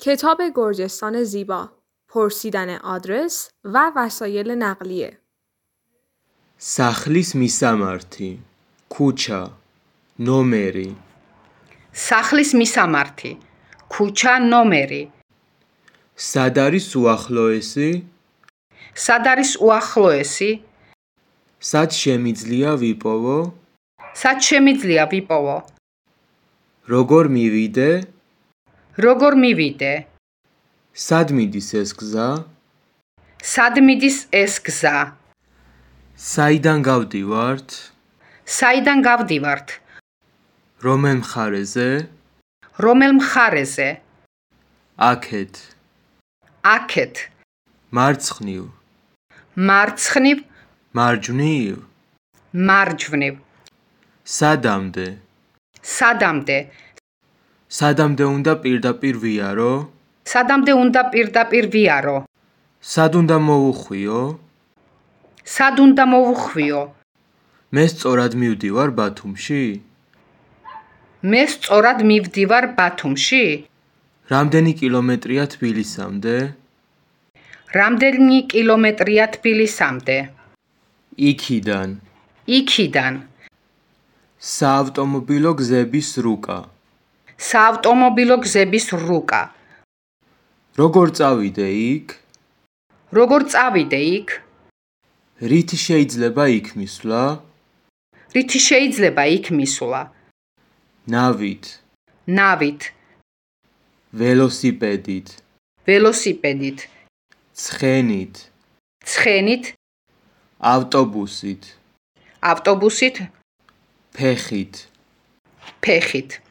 کتاب گرجستان زیبا، پرسیدن آدرس و وسایل نقلیه. სახლის მისამართი, ქუჩა, ნომერი. სახლის მისამართი, ქუჩა, ნომერი. სად არის უახლოესი? სად არის უახლოესი? სად შემიძლია ვიპოვო? სად შემიძლია ვიპოვო? როგორ მივიდე? როგორ მივიდე? სად მიდის ეს გზა? სად მიდის ეს გზა? საიდან გავდივართ? საიდან გავდივართ? რომელ მხარეზე? რომელ მხარეზე? აქეთ. აქეთ. მარცხნივ. მარცხნივ. მარჯვნივ. მარჯვნივ. სადამდე? სადამდე? სადამდე უნდა პირდაპირ ვიარო? სადამდე უნდა პირდაპირ ვიარო? სად უნდა მოვუხვიო? სად უნდა მოვუხვიო? მე სწორად მივდივარ ბათუმში? მე სწორად მივდივარ ბათუმში? რამდენი კილომეტრია თბილისამდე? რამდენი კილომეტრია თბილისამდე? იქიდან. იქიდან. საავტომობილო გზების რუკა. საავტომობილო გზების რუკა. როგორ წავიდე იქ? როგორ წავიდე იქ? რით შეიძლება იქ მისვლა? რით შეიძლება იქ მისვლა? ნავით. ნავით. ველოსიპედით. ველოსიპედით. ცხენით. ცხენით. ავტობუსით. ავტობუსით. ფეხით. ფეხით.